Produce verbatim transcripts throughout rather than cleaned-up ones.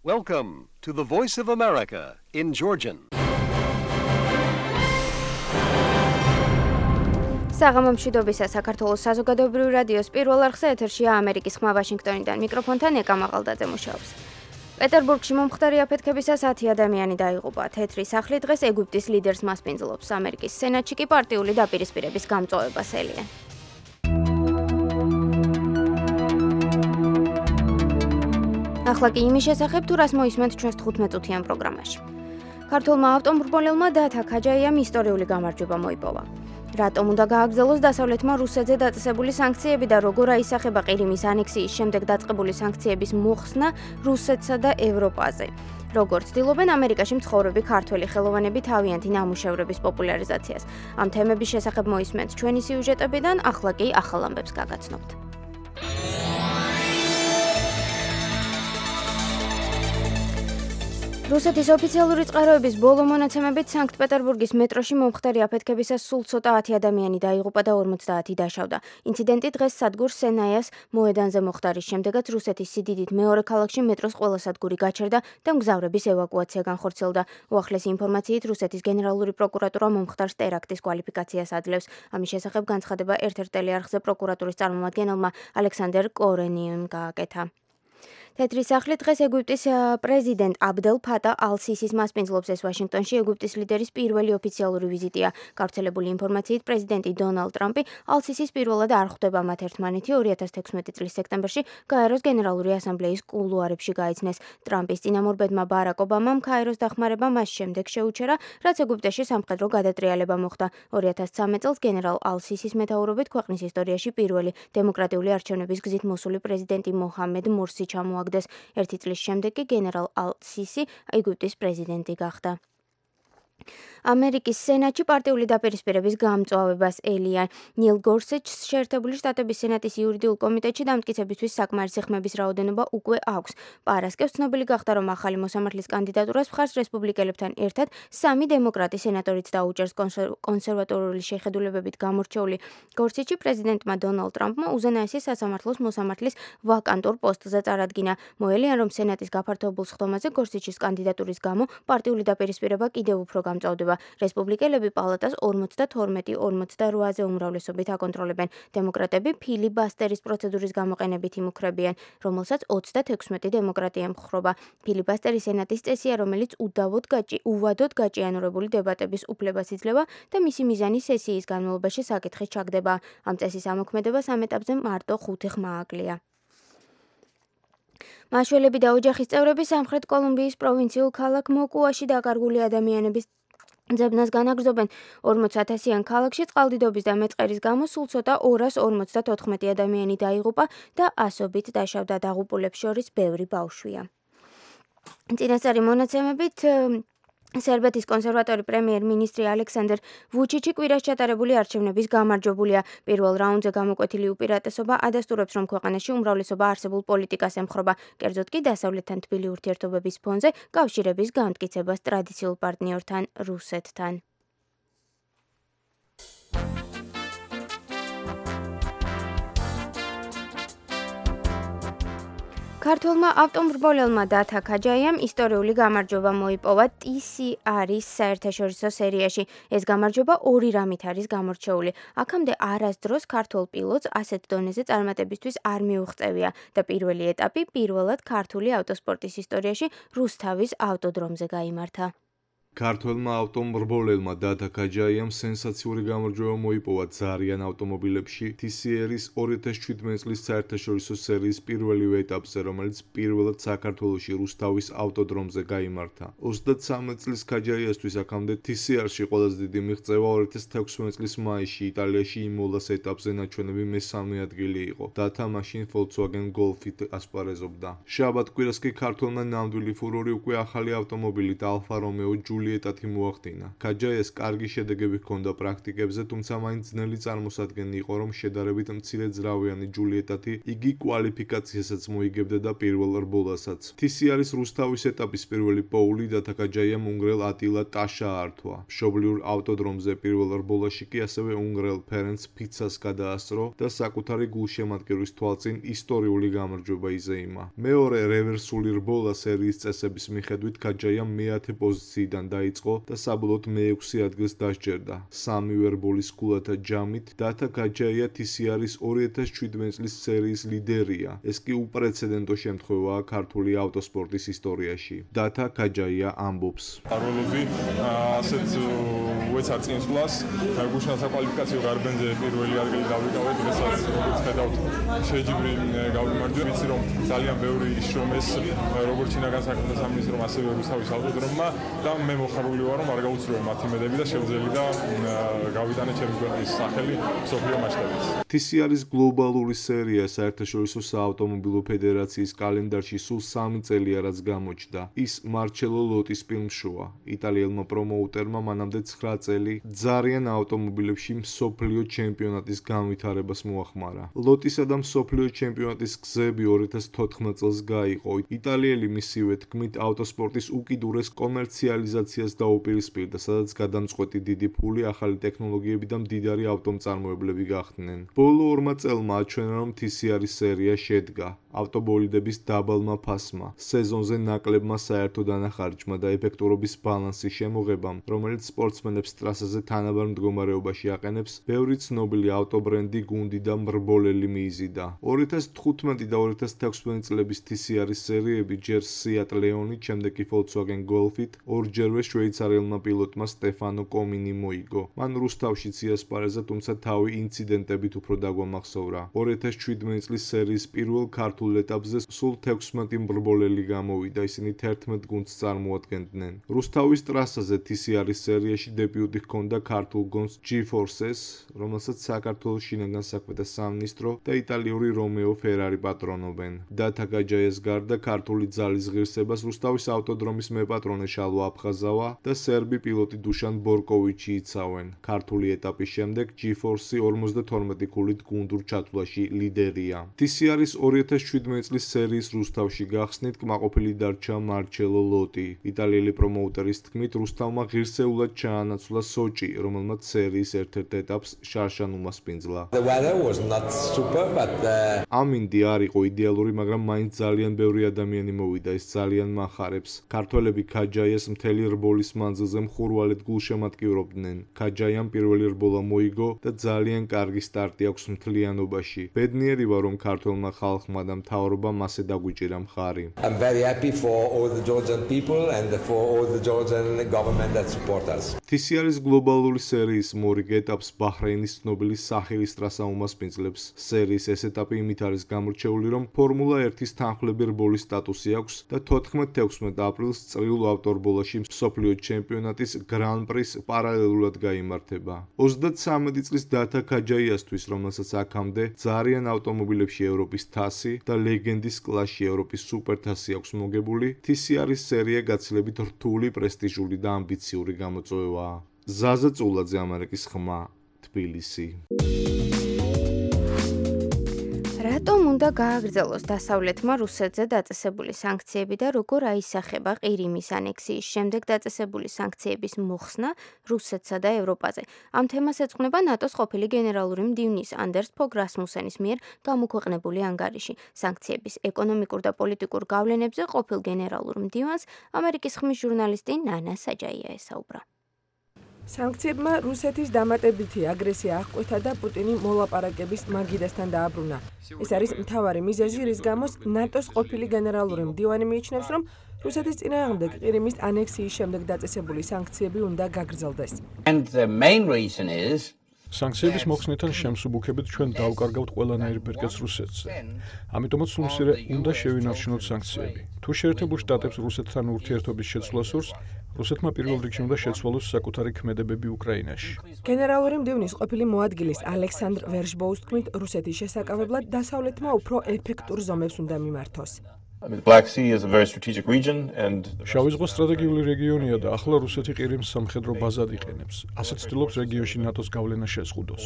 Welcome to the Voice of America in Georgian. საღამო მშვიდობისა საქართველოს საზოგადოებრივი რადიოს პირველ არხზე ეთერშია ამერიკის ხმა ვაშინგტონიდან მიკროფონთან ეკა მაღალდაძე მუშაობს. პეტერბურგში მომხდარი აფეთქებისას ათი ადამიანი დაიღუპა. თეთრი სახლი დღეს ეგვიპტის ლიდერს მასპინძლობს. ამერიკის სენატში კი პარტიული დაპირისპირების გამწვავებას ელიან. ახლა კი იმის შესახებ, თუ რას მოისმენთ ჩვენს თხუთმეტ წუთიან პროგრამაში. ქართულმა ავტომობილმა დათა ქაჯაიამ ისტორიული გამარჯვება მოიპოვა. რატომ უნდა გააგრძელოს დასავლეთმა რუსეთზე დაწესებული სანქციები და როგორ აისახება ყირიმის ანექსიის შემდეგ დაწყებული სანქციების მოხსნა რუსეთსა და ევროპაზე? როგორ ცდილობენ ამერიკაში მცხოვრები ქართველი ხელოვანები თავიანთი ნამუშევრების პოპულარიზაციას? ამ თემების შესახებ მოისმენთ ჩვენი სიუჟეტებიდან, ახლა კი ახალ ამბებს გაგაცნობთ. რუსეთის ოფიციალური წყაროების ბოლო მონაცემებით სანქტ-პეტერბურგის მეტროში მომხდარი აფეთქებისას სულ ცოტა ათი ადამიანი დაიღუპა და ორმოცდაათი დაშავდა. ინციდენტი დღეს სადგურ სენაიას მოედანზე მოხდა, რის შემდეგაც რუსეთის სიდიდით მეორე ქალაქში მეტროს ყველა სადგური გაჩერდა და მგზავრების ევაკუაცია განხორციელდა. უახლესი ინფორმაციით რუსეთის გენერალური პროკურატურა მომხდარს ტერაქტის კვალიფიკაციას აძლევს. ამის შესახებ განცხადება ერთ-ერთ ტელეარხზე პროკურატურის წარმომადგენელმა ალექსანდერ კორენიემ გააკეთა. თეთრი სახლი დღეს ეგვიპტის პრეზიდენტ აბდელ ფატა ალ-სისის მასპინძლობს. ეს ვაშინგტონში ეგვიპტის ლიდერის პირველი ოფიციალური ვიზიტია. გავრცელებული ინფორმაციით პრეზიდენტი დონალდ ტრამპი ალ-სისის პირველად არ ხვდება მათ ერთმანეთი ორი ათას თექვსმეტი წლის სექტემბერში გაეროს გენერალური ასამბლეის კულუარებში გაიცნეს. ტრამპის წინამორბედმა ბარაკ ობამამ გაეროს დახმარება მას შემდეგ შეუჩერა, რაც ეგვიპტეში სამხედრო გადატრიალება მოხდა. ორი ათას ცხრამეტ წელს გენერალ ალ-სისის მეთაურობით ქვეყნის ისტორიაში პირველი დემოკრატიული არჩევნების გზით მოსული პრეზიდენტი მოჰამედ მურსი ჩამოაგდო. ერთი წლის შემდეგ კი გენერალ ალ-სისი ეგვიპტის პრეზიდენტი გახდა. ამერიკის სენატში პარტიული დაპირისპირების გამწვავებას ელიან. ნილ გორსეჩს შეერთებული შტატების სენატის იურიდიულ კომიტეტში დამტკიცებისთვის საკმარისი ხმების რაოდენობა უკვე აქვს. პარასკევს ცნობილი გახდა, რომ ახალი მოსამართლის კანდიდატურას მხარს რესპუბლიკელებთან ერთად სამი დემოკრატი სენატორიც დაუჭერს. კონსერვატორული შეხედულებებით გამორჩეული გორსეჩი პრეზიდენტმა დონალდ ტრამპმა უზენაესი სასამართლოს მოსამართლის ვაკანტურ პოსტზე წარადგინა. მოელიან, რომ სენატის გაფართოებულ სხდომაზე გორსეჩის კანდიდატურის გამო პარტიული დაპირისპირება კიდევ უფრო გამწავდება. რესპუბლიკელები პალატას ორმოცდათორმეტი ორმოცდაოთხ-ზე უმრავლესობით აკონტროლებენ. დემოკრატები ფილიბასტერის პროცედურის გამოყენებით იმუქრებიან, რომელსაც ოცდათექვსმეტი დემოკრატი ემხრობა. ფილიბასტერი სენატის წესია, რომელიც უდავოდ გაჭი უვადოდ გაჭიანურებული დებატების უფლებას იძლევა და მისი მიზანი სესიის განმავლობაში საკითხის ჩაგდება. ამ წესის ამოქმედებას ამ ეტაპზე მარტო ხუთი ხმა აკლია. მაშველები და ოჯახის წევრები სამხრეთ კოლუმბიის პროვინციულ ქალაქ მოკუაში დაკარგული ადამიანების ძებნას განაგრძობენ. ორმოცათასიან ქალაქში წყალდიდობის და მეწყერის გამო სულ ცოტა ორას ორმოცდათოთხმეტი ადამიანი დაიღუპა და ასობით დაშავდა. დაღუპულებს შორის ბევრი ბავშვია. წინასწარი მონაცემებით სერბეთის კონსერვატორი პრემიერ-მინისტრი ალექსანდერ ვუჩიჩი კვირას ჩატარებული არჩევნების გამარჯვებულია. პირველ რაუნდზე გამოკვეთილი უპირატესობა ადასტურებს, რომ ქვეყანაში უმრავლესობა არსებულ პოლიტიკას ემხრობა. კერძოდ კი დასავლეთთან თბილი ურთიერთობების ფონზე კავშირების განმტკიცებას ტრადიციულ პარტნიორთან რუსეთთან. ქართველმა ავტომრბოლელმა დათა ქაჯაიამ ისტორიული გამარჯვება მოიპოვა ტი სი არის საერთაშორისო სერიაში. ეს გამარჯვება ორი რამით არის გამორჩეული. აქამდე არასდროს ქართველ პილოტს ასეთ დონეზე წარმატებისთვის არ მიუღწევია და პირველი ეტაპი პირველად ქართული ავტოსპორტის ისტორიაში რუსთავის ავტოდრომზე გაიმართა. ქართველმა ავტომრბოლელმა დათა ქაჯაიამ სენსაციური გამარჯვება მოიპოვა ძალიან ავტომობილებში ტი სი არის ორი ათას შვიდმეტი წლის საერთაშორისო სერიის პირველივე ეტაპზე, რომელიც პირველად საქართველოში რუსთავის ავტოდრომზე გაიმართა. ოცდათსამეტ წლის ქაჯაიასთვის აქამდე ტი სი არში ყველაზე დიდი მიღწევა ორი ათას თექვსმეტი წლის მაისში იტალიაში იმოლას ეტაპზე ნაჩვენები მესამე ადგილი იყო. დათა მაშინ Volkswagen Golf-ით ასპარეზობდა. შაბათ კვირას კი ქართველმა ნამდვილი ფურორი უკვე ახალი ავტომობილით Alfa Romeo ჯულიეტათი მოახდინა. ქაჯაიას კარგი შედეგები ჰქონდა პრაქტიკებზე, თუმცა მაინც ძნელი წარმოსადგენი იყო, რომ შედარებით მცირე ძრავიანი ჯულიეტათი იგი კვალიფიკაციასაც მოიგებდა და პირველ რბოლასაც. თისიარის რუსთავის ეტაპის პირველი პოული დათა ქაჯაიამ უნგრელ ატილა ტაშა ართვა. მშობლიურ ავტოდრომზე პირველ რბოლაში კი ასევე უნგრელ ფერენც ფიცას გადაასწრო და საკუთარი გულშემატკივრის თვალწინ ისტორიული გამარჯვება იზეიმა. მეორე რევერსული რბოლა სერიის წესების მიხედვით ქაჯაიამ მეათე პოზიციიდან დაიწყო და საბოლოოდ მეექვსე ადგილს დასჯერდა. სამივე რბოლის ქულათა ჯამით დათა ქაჯაია თისიარის ორი ათას შვიდმეტი წლის სერიის ლიდერია. ეს კი უპრეცედენტო შემთხვევაა ქართული ავტოსპორტის ისტორიაში. დათა ქაჯაია ამბობს: არველოდი ასეთ უეცარ წინსვლას, გუშინათა კვალიფიკაციო გარბენზე პირველი ადგილი დავიკავეთ, დღესაც როგორც ხედავთ, შეჯიბრი გავიმარჯვე, ვიცი რომ ძალიან ბევრი შრომეს როგორც ჩინაგან საქმეთა სამინისტრომ, ასევე რუსთავის ავტოდრომმა და მე მოხარული ვარ, რომ არ გაუცრუე მათი მედები და შევძელი და გავიტანე ჩემი ქვეყნის სახელი მსოფლიო მასშტაბით. თისიარის გლობალური სერია საერთაშორისო საავტომობილო ფედერაციის კალენდარში სულ სამი წელია რაც გამოჩნდა. ის მარჩელო ლოტის ფილმშოა. იტალიელმა პრომოუტერმა მანამდე ცხრა წელი ძალიან ავტომობილებში მსოფლიო ჩემპიონატის განვითარებას მოახმარა. ლოტისა და მსოფლიო ჩემპიონატის გზები ორი ათას თოთხმეტ წელს გაიყო. იტალიელი მისივე თქმით ავტოსპორტის უკიდურეს კომერციალიზაციას დაუპირისპირდა, სადაც გადამწყვეტი დიდი ფული, ახალი ტექნოლოგიები და მდიდარი ავტომწარმოებლები გახდნენ. ბოლო ორმა წელმა აჩვენა, რომ თისიარის სერია შედგა ავტობოლიდების დაბალმა ფასმა, სეზონზე ნაკლებმა საერთო დანახარჯმა და ეფექტურობის ბალანსის შემოღებამ, რომელიც სპორტსმენებს ტრასაზე თანაბარ მდგომარეობაში აყენებს, ბევრი ცნობილი ავტობრენდი, გუნდი და მრბოლელი მიიზიდა. ორი ათას თხუთმეტი და ორი ათას თექვსმეტი წლების თისიარის სერიები ჯერ Seat Leonით, შემდეგ კი Volkswagen Golf-ით ორჯერვე შვეიცარიელმა პილოტმა სტეფანო კომინი მოიგო. მან რუსთავშიც იასპარეზა, თუმცა თავი ინციდენტებით უფრო დაგვამახსოვრა. ორი ათას შვიდმეტი წლის სერიის პირველ ქართულ ეტაპზე სულ თექვსმეტი მრბოლელი გამოვიდა, ისინი თერთმეტ გუნდს წარმოადგენდნენ. რუსთავის ტრასაზე თისიარის სერიაში დებიუტი ჰქონდა ქართულ გონს G-Forces, რომელსაც საქართველოს შინაგან საქმეთა სამინისტრო და იტალიური რომეო ფერარი პატრონობენ. დათა ქაჯაიას გარდა ქართული ძალის ღირსებას რუსთავის ავტოდრომის მეპატრონე შალვა აფხაზავა და სერბი პილოტი დუშან ბორკოვიჩი იცავენ. ქართული ეტაპის შემდეგ G-Force ორმოცდათორმეტი ქულით გუნდურ ჩათვლაში ლიდერია. თისიარის ორი ათას შვიდმეტი წლის სერიის რუსთავში გახსნით კმაყოფილი დარჩა მარჩელო ლოტი. იტალიელი პრომოუტერის თქმით, რუსთავმა ღირსეულად ჩაანაცვლა სოჭი, რომელმაც სერიის ერთ-ერთ ეტაპს შარშან უმასპინძლა. ამინდი არ იყო იდეალური, მაგრამ მაინც ძალიან ბევრი ადამიანი მოვიდა, ეს ძალიან მახარებს. ქართველები ქაჯაიას მთელი რბოლის მანძილზე მხურვალედ გულშემატკივრობდნენ. ქაჯაიამ პირველი რბოლა მოიგო და ძალიან კარგი სტარტი აქვს მთლიანობაში. ბედნიერი ვარ, რომ ქართველმა ხალხმა და მთავრობამ მასე დაგვიჭირა მხარი. I'm very happy for all the Georgian people and for all the Georgian government that support us. თისიარის გლობალური სერიის მორიგ ეტაპს ბაჰრეინის ცნობილი საჰილის ტრასა უმასპინძლებს. სერიის ეს ეტაპი იმით არის გამორჩეული, რომ ფორმულა ერთის თანხლები რბოლის სტატუსი აქვს და თოთხმეტ თექვსმეტ აპრილს წრიულ ავტორბოლაში მსოფლიო ჩემპიონატის გრან პრის პარალელურად გაიმართება. ოცდათსამეტი წლის დათა ქაჯაიასთვის, რომელსაც აქამდე ძალიან ავტომობილებში ევროპის თასი და ლეგენდის კლასში ევროპის სუპერთასი აქვს მოგებული, თისიარის სერია გაცილებით რთული, პრესტიჟული და ამბიციური გამოწვევაა. ზაზა წულაძე, ამერიკის ხმა, თბილისი. რატომ უნდა გააგრძელოს დასავლეთმა რუსეთზე დაწესებული სანქციები და როგორ აისახება ყირიმის ანექსიის შემდეგ დაწესებული სანქციების მოხსნა რუსეთსა და ევროპაზე? ამ თემას ეძღვნება ნატოს ყოფილი გენერალური მდივნის ანდერს ფოგ რასმუსენის მიერ გამოქვეყნებული ანგარიში. სანქციების ეკონომიკურ და პოლიტიკურ გავლენებზე ყოფილ გენერალურ მდივანს ამერიკის ხმის ჟურნალისტი ნანა საჯაია ესაუბრა. სანქციებმა რუსეთის დამატებითი აგრესია აღკვეთა და პუტინი მოლაპარაკების მაგიდასთან დააბრუნა. ეს არის მთავარი მიზეზი, რის გამოც ნატოს ყოფილი გენერალური მდივანი მიიჩნევს, რომ რუსეთის წინააღმდეგ ყირიმის ანექსიის შემდეგ დაწესებული სანქციები უნდა გაგრძელდეს. And the main reason is სანქციების მოხსნიდან შემსუბუქებით ჩვენ დავკარგავთ ყველანაირ ბერკეტს რუსეთზე. ამიტომაც სულ მცირე უნდა შევინარჩუნოთ სანქციები. თუ შეერთებულ შტატებს რუსეთთან ურთიერთობის შეცვლა სურს, რუსეთმა პირველ რიგში უნდა შეცვალოს საკუთარი ქმედებები უკრაინაში. გენერალური მდივნის ყოფილი მოადგილის ალექსანდრ ვერშბოუს თქმით, რუსეთის შესაკავებლად დასავლეთმა უფრო ეფექტურ ზომებს უნდა მიმართოს. შავი ზღვა სტრატეგიული რეგიონია და ახლა რუსეთი ყირიმს სამხედრო ბაზად იყენებს. ასე ცდილობს რეგიონში ნატოს გავლენა შეზღუდოს.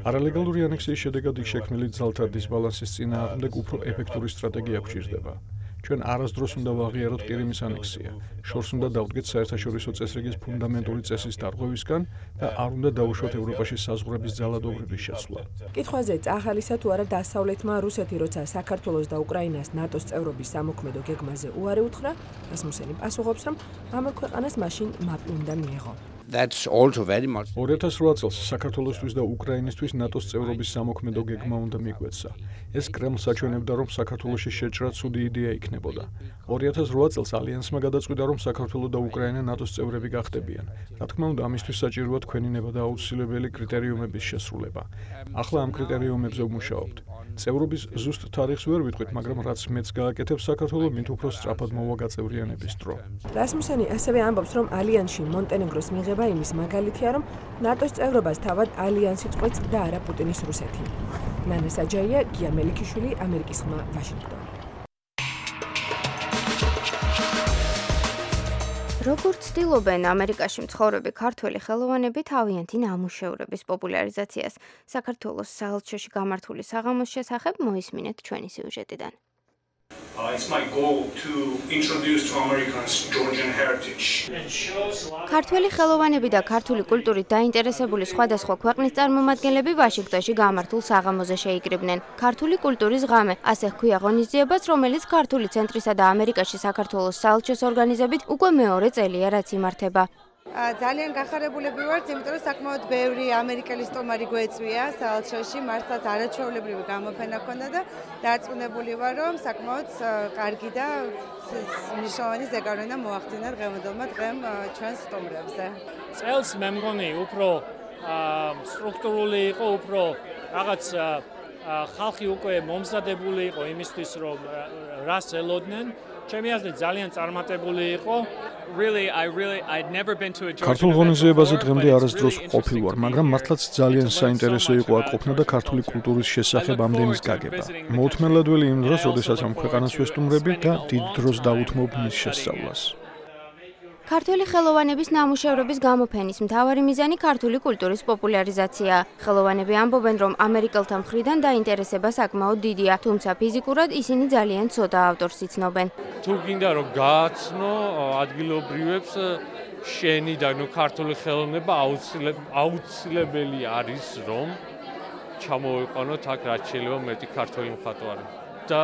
არალეგალური ანექსიის შედეგად იქ შექმნილი ძალთა დისბალანსის წინააღმდეგ უფრო ეფექტური სტრატეგია გვჭირდება. ჩვენ არასდროს უნდა ვაღიაროთ ყირიმის ანექსია. შორს უნდა დავდგეთ საერთაშორისო წესრიგის ფუნდამენტური წესის დარღვევისგან და არ უნდა დაუშვათ ევროპაში საზღვრების ძალადობრივის შეცვლა. კითხვაზე წახალისა თუ არა დასავლეთმა რუსეთი როცა საქართველოს და უკრაინას ნატოს წევრობის სამოქმედო გეგმაზე უარი უთხრა, რასმუსენი პასუხობს, რომ ამ ქვეყანას მაშინ მაპი უნდა მიეღო. That's also very much. ორი ათას რვა წელს საქართველოსთვის და უკრაინისთვის ნატოს წევრობის სამოქმედო გეგმა უნდა მიგვეცა. ეს კრემლს აჩვენებდა, რომ საქართველოში შეჭრა ცუდი იდეა იქნებოდა. ორი ათას რვა წელს ალიანსმა გადაწყვიტა, რომ საქართველო და უკრაინა ნატოს წევრები გახდებიან. რა თქმა უნდა, ამისთვის საჭიროა თქვენინება და აუცილებელი კრიტერიუმების შესრულება. ახლა ამ კრიტერიუმებზე ვმუშაობთ. წევრობის ზუსტ თარიღს ვერ ვიტყვით, მაგრამ რაც მეც გააკეთებს საქართველო, მით უფრო სწრაფად მოვა გაწევრიანების დრო. რასმუსენი ასევე ამბობს, რომ ალიანსში მონტენეგროს მიღება იმის მაგალითია, რომ ნატოს წევრობას თავად ალიანსი წყვეტს და არა პუტინის რუსეთი. ნანა საჯაია, გია მელიქიშვილი, ამერიკის ხმა, ვაშინგტონი. როგორც ცდილობენ ამერიკაში მცხოვრები ქართველი ხელოვანები თავიანთი ნამუშევრების პოპულარიზაციას, საქართველოს საელჩოში გამართული საღამოს შესახებ მოისმინეთ ჩვენი სიუჟეტიდან. Uh, it's my goal to introduce to Americans Georgian heritage. ქართველი ხელოვანები და ქართული კულტურით დაინტერესებული სხვადასხვა ქვეყნის წარმომადგენლები ვაშინგტონში გამართულ საღამოზე შეიკრიბნენ. ქართული კულტურის ღამე, ასე ჰქვია ღონისძიებას, რომელიც ქართული ცენტრისა და ამერიკაში საქართველოს საელჩოს ორგანიზებით უკვე მეორე წელია, რაც იმართება. ძალიან გახარებულები ვართ, იმიტომ რომ საკმაოდ ბევრი ამერიკელი სტუმარი გვეწვია საელჩოში, მართლაც არაჩვეულებრივი გამოფენა ჰქონდა და დარწმუნებული ვარ, რომ საკმაოდ კარგი და მნიშვნელოვანი ზეგავლენა მოახდინა დღევანდელმა დღემ ჩვენს სტუმრებზე. წელს მე მგონი უფრო სტრუქტურული იყო, უფრო რაღაც ხალხი უკვე მომზადებული იყო იმისთვის, რომ რას ელოდნენ. ჩემი აზრით ძალიან წარმატებული იყო. Really, I really I'd never been to a Georgian ქართულ ღონისძიებაზე დღემდე არასდროს ყოფილ ვარ, მაგრამ მართლაც ძალიან საინტერესო იყო აქ ყოფნა და ქართული კულტურის შესახებ ამდენის გაგება. მოუთმენლადველი იმ დროს, როდესაც ამ ქვეყანას ვესტუმრები და დიდ დროს დავუთმობ მის შესწავლას. ქართული ხელოვანების ნამუშევრების გამოფენის მთავარი მიზანი ქართული კულტურის პოპულარიზაციაა. ხელოვანები ამბობენ, რომ ამერიკელთა მხრიდან დაინტერესება საკმაოდ დიდია, თუმცა ფიზიკურად ისინი ძალიან ცოტა ავტორს იცნობენ. თუ გინდა რომ გააცნო ადგილობრივებს შენი და ნუ ქართული ხელოვნება აუცილებელი არის, რომ ჩამოვიყვანოთ აქ რაც შეიძლება მეტი ქართული მხატვარი და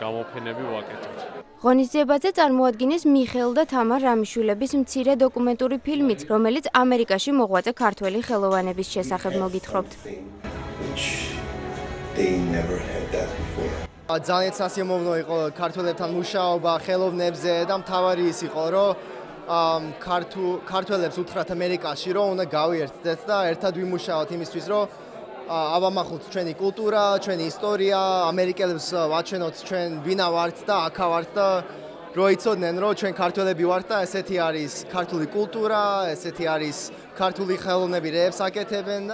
გამოფენები ვაკეთოთ. ღონისძიებაზე წარმოადგინეს მიხეილ და თამარ რამიშვილების მცირე დოკუმენტური ფილმიც, რომელიც ამერიკაში მოღვაწე ქართველი ხელოვანების შესახებ მოგითხრობთ. ძალიან სასიამოვნო იყო ქართველებთან მუშაობა ხელოვნებზე და მთავარი ის იყო, რომ ქართველებს უთხრათ ამერიკაში, რომ უნდა გავიერთდეთ და ერთად ვიმუშაოთ იმისთვის, რომ ავამახოთ ჩვენი კულტურა, ჩვენი ისტორია, ამერიკელებს ვაჩვენოთ ჩვენ ვინა ვართ და აქა ვართ და რო იცოდნენ, რომ ჩვენ ქართველები ვართ და ესეთი არის ქართული კულტურა, ესეთი არის ქართული ხელოვნები, რეებს აკეთებენ.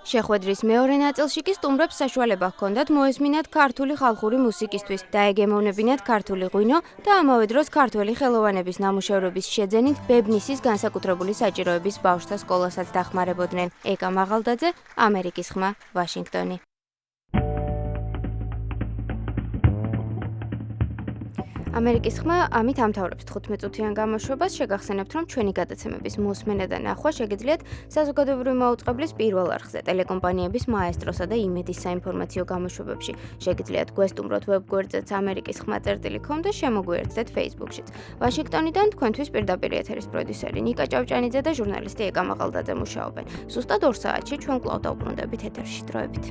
შეხვედრის მეორე ნაწილში კი სტუმრებს საშუალება ჰქონდათ მოესმინათ ქართული ხალხური მუსიკისთვის, დაეგემოვნებინათ ქართული ღვინო და ამავე დროს ქართველი ხელოვანების ნამუშევრების შეძენით ბებნისის განსაკუთრებული საჭიროების ბავშვთა სკოლასაც დახმარებოდნენ. ეკა მაღალდაძე, ამერიკის ხმა, ვაშინგტონი. ამერიკის ხმა ამით ამთავრებს თხუთმეტ წუთიან გამოშვებას. შეგახსენებთ, რომ ჩვენი გადაცემების მოსმენა და ნახვა შეგიძლიათ საზოგადოებრივი მაუწყებლის პირველ არხზე, ტელეკომპანიების მაესტროსა და იმედის საინფორმაციო გამოშვებებში. შეგიძლიათ გვესტუმროთ ვებგვერდზეც ამერიკის ხმა წერტილი კომ და შემოგვიერთდეთ Facebook-შიც. ვაშინგტონიდან თქვენთვის პირდაპირ ეთერის პროდიუსერი ნიკა ჭავჭანიძე და ჟურნალისტი ეკა მაღალდაძე მუშაობენ. ზუსტად ორ საათში ჩვენ კვლავ დავბრუნდებით ეთერში. დროებით.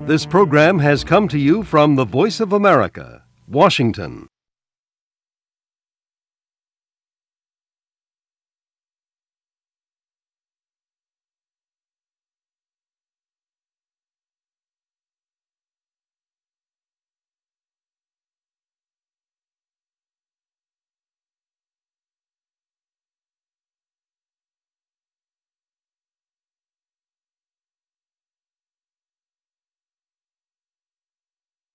This program has come to you from the Voice of America, Washington.